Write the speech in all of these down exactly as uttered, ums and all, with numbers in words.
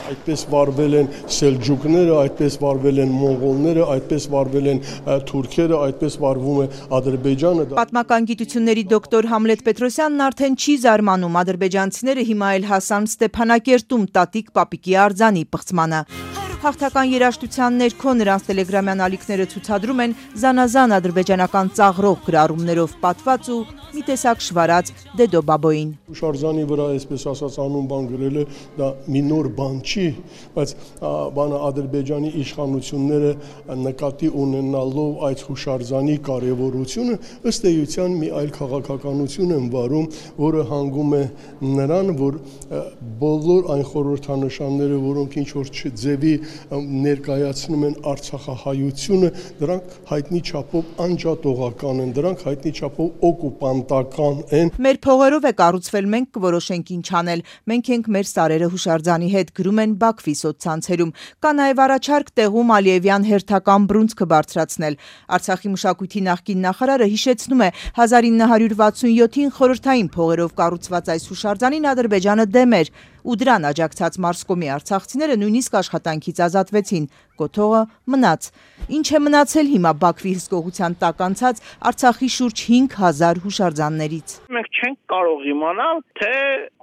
Այդպես վարվել են սելջուկները, այդպես վարվել են մոնղոլները, այդպես վարվել են թուրքերը, այդպես վարվում է Ադրբեջանը։ Պատմական գիտությունների դոկտոր Համլետ Պետրոսյանն արդեն չի զարմանում, ադրբեջանցիները հիմա էլ հասան Ստեփանակերտում տատիկ պապիկի արձանի պղծմանը։ Հաղթական երաժշտության ներքո նրանց տելեգրամյան ալիքները ցուցադրում են զանազան ադրբեջանական ծաղրող գրառումներով պատված ու մի տեսակ շվարած Դեդո Բաբոին։ Հուշարձանի վրա, այսպես ասած, անուն բան գրելը դա մի նոր բան չի, բայց բանը Ադրբեջանի իշխանությունները նկատի ունենալով այդ հուշարձանի կարևորությունը ըստ էության մի այլ քաղաքականություն են վարում, որը հանգում է նրան, որ բոլոր այն խորհրդանշանները, որոնք ինչ որ ձևի ներկայացնում են արցախահայությունը, դրանք հայտնի չափով անջատողական են, դրանք հայտնի չափով օկուպանտական են։ Մեր փողերով է կառուցվել, մենք կորոշենք ինչ անել, մենք ենք մեր սարերը հուշարձանի հետ, գրում են Բաքվի սոցցանցերում։ Կա նաև առաջարկ տեղում Ալիևյան հերթական բռունցքը բարձրացնել։ Արցախի մշակույթի նախկին նախարարը հիշեցնում է հազար ինը հարյուր վաթսունյոթին խորհրդային փողերով կառուցված այս հուշարձանին Ադրբեջանը դեմ էր, ու դրան աջակցած Մարսկոմի արցախցիները նույնիսկ աշխատանքից ազատվեցին, կոթողը մնաց։ Ինչ է մնացել հիմա Բաքվի հսկողության տակ անցած Արցախի շուրջ հինգ հազար հուշարձաններից։ Մենք չենք կարող իմանալ, թե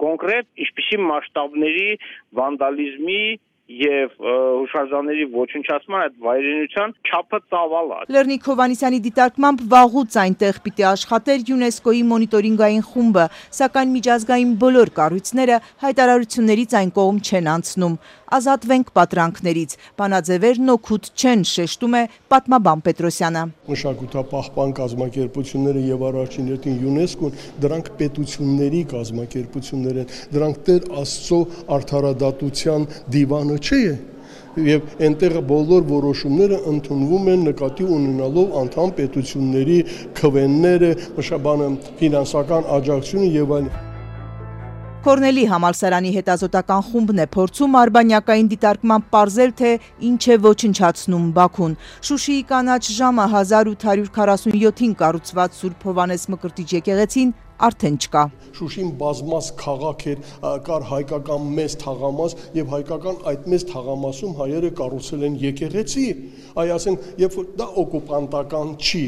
կոնկրետ ինչպիսի մասշտաբների վանդալիզմի եւ հուշարձանների ոչնչացման այդ վայրենության չափը ծավալ է։ Լեռնիկ Հովհաննիսյանի դիտարկմամբ վաղուց այնտեղ պիտի աշխատեր ՅՈՒՆԵՍԿՕ-ի մոնիտորինգային խումբը, սակայն միջազգային բոլոր կառույցները հայտարարություններից այն կողմ չեն անցնում։ Ազատվենք պատրանքներից, բանաձևերն օգուտ չեն, շեշտում է պատմաբան Պետրոսյանը։ Մշակութապահպան կազմակերպությունները եւ առաջին հերթին ՅՈՒՆԵՍԿՕ-ն դրանք պետությունների կազմակերպություններ են, դրանք Տեր Աստծո արդարադատության դիվանը չէ։ Եվ այնտեղ բոլոր որոշումները ընդունվում են նկատի ունենալով անդամ պետությունների քվեները, մշաբանը ֆինանսական աջակցությունը եւ այլն։ Կորնելի համալսարանի հետազոտական խումբն է փորձում արբանյակային դիտարկմամբ պարզել, թե ինչ է ոչնչացնում Բաքուն։ Շուշիի կանաչ ժամը հազար ութ հարյուր քառասունյոթին կառուցված Սուրբ Հովհաննես Մկրտիչ եկեղեցին արդեն չկա։ Շուշին բազմաց քաղաք էր, կար հայկական մեծ թաղամաս եւ հայկական այդ մեծ թաղամասում հայերը կառուցել են եկեղեցի։ Այ ասենք, երբ որ դա օկուպանտական չի։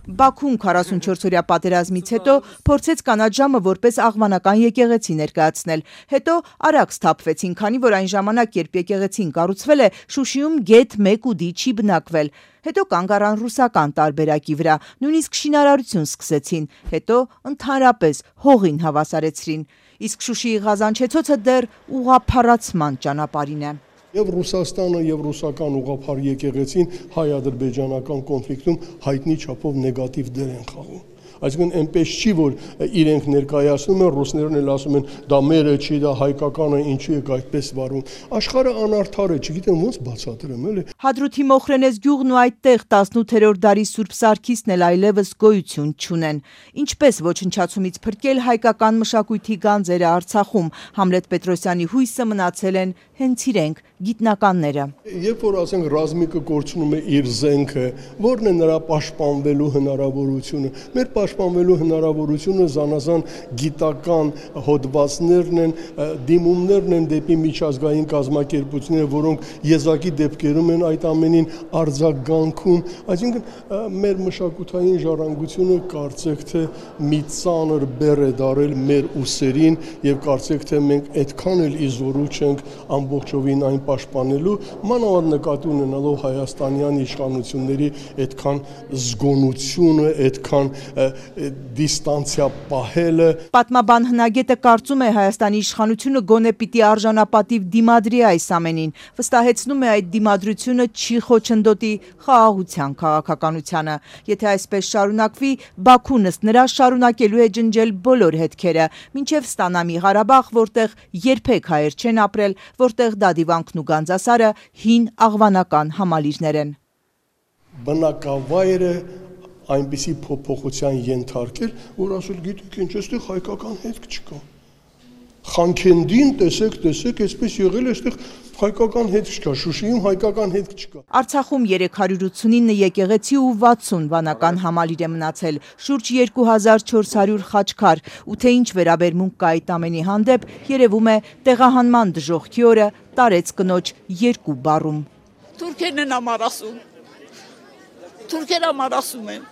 Բաքուն քառասունչորսօրյա պատերազմից հետո փորձեց կանաչ ժամը որպես աղվանական եկեղեցի ներկայացնել։ Հետո արագ սթափվեցին, քանի որ այն ժամանակ, երբ եկեղեցին կառուցվել է, Շուշիում գեթ մեկ ուդի չի բնակվել։ Հետո կանգ առան ռուսական տարբերակի վրա, նույնիսկ շինարարություն սկսեցին, հետո ընդհանրապես հողին հավասարեցրին։ Իսկ Շուշիի Ղազանչեցոցը դեռ ուղղափառացման ճանապարհին է։ Եվ Ռուսաստանը եւ ռուսական ուղղափառ եկեղեցին հայ-ադրբեջանական կոնֆլիկտում հայտնի չափով նեգատիվ դեր են խաղում։ Այսինքն այնպես չի, որ իրենք ներկայացնում են, ռուսներն էլ ասում են, դա մերը չի, դա հայկականը, ինչու եք այդպես վարում։ Աշխարհը անարդար է, չգիտեմ ոնց բացատրեմ, էլի։ Հադրութի Մոխրենես գյուղն ու այդտեղ տասնութերորդ դարի Սուրբ Սարգիսն էլ այլևս գոյություն չունեն։ Ինչպես ոչնչացումից փրկել հայկական մշակույթի գանձերը Արցախում, Համլետ Պետրոսյանի հույսը մնացել են հենց իրենք գիտնականները։ Երբ որ ասենք ռազմիկը կորցնում է իր զենքը, ո՞րն է նրա պաշտպանվելու հնարավորությունը։ Մեր պաշտպանվելու հնարավորությունը զանազան գիտական հոդվածներն են, դիմումներն են դեպի միջազգային կազմակերպությունները, որոնք եզակի դեպքերում են այդ ամենին արձագանքում։ Այսինքն մեր մշակութային ժառանգությունը կարծեք թե մի ծանր բեռ է դարել մեր ուսերին եւ կարծեք թե մենք այդքան էլ իզորու չենք ամբողջովին այն պաշտպանելու, մանավանդ նկատի ունենալով հայաստանյան իշխանությունների այդքան զգոնությունը, այդքան դիստանցիա պահելը։ Պատմաբան հնագետը կարծում է Հայաստանի իշխանությունը գոնե պիտի արժանապատիվ դիմադրի այս ամենին, վստահեցնում է այդ դիմադրությունը չի խոչընդոտի խաղաղության քաղաքականությանը։ Եթե այսպես շարունակվի, Բաքուն ըստ նրա շարունակելու է ջնջել բոլոր հետքերը, մինչև ստանա մի Ղարաբաղ, որտեղ երբեք հայեր չեն ապրել, որտեղ Դադիվանքն ու Գանձասարը հին աղվանական համալիրներ են։ Բնակավայրը այնպիսի փոփոխության ենթարկել, որ ասել գիտեք ինչ, այստեղ հայկական հետք չկա։ Խանքենդին տեսեք, տեսեք, այսպես եղել է, այստեղ Հայկական հետ չկա, Շուշիում հայկական հետ չկա։ Արցախում երեք հարյուր ութսունինը եկեղեցի ու վաթսուն վանական համալիր է մնացել, շուրջ երկու հազար չորս հարյուր խաչքար, ու թե ինչ վերաբերմունք կա այդ ամենի հանդեպ, երևում է տեղահանման դժոխքի օրը տարեց կնոջ երկու բառում։ Թուրքերն են ամար ասում, թուրքեր ամար ասում են։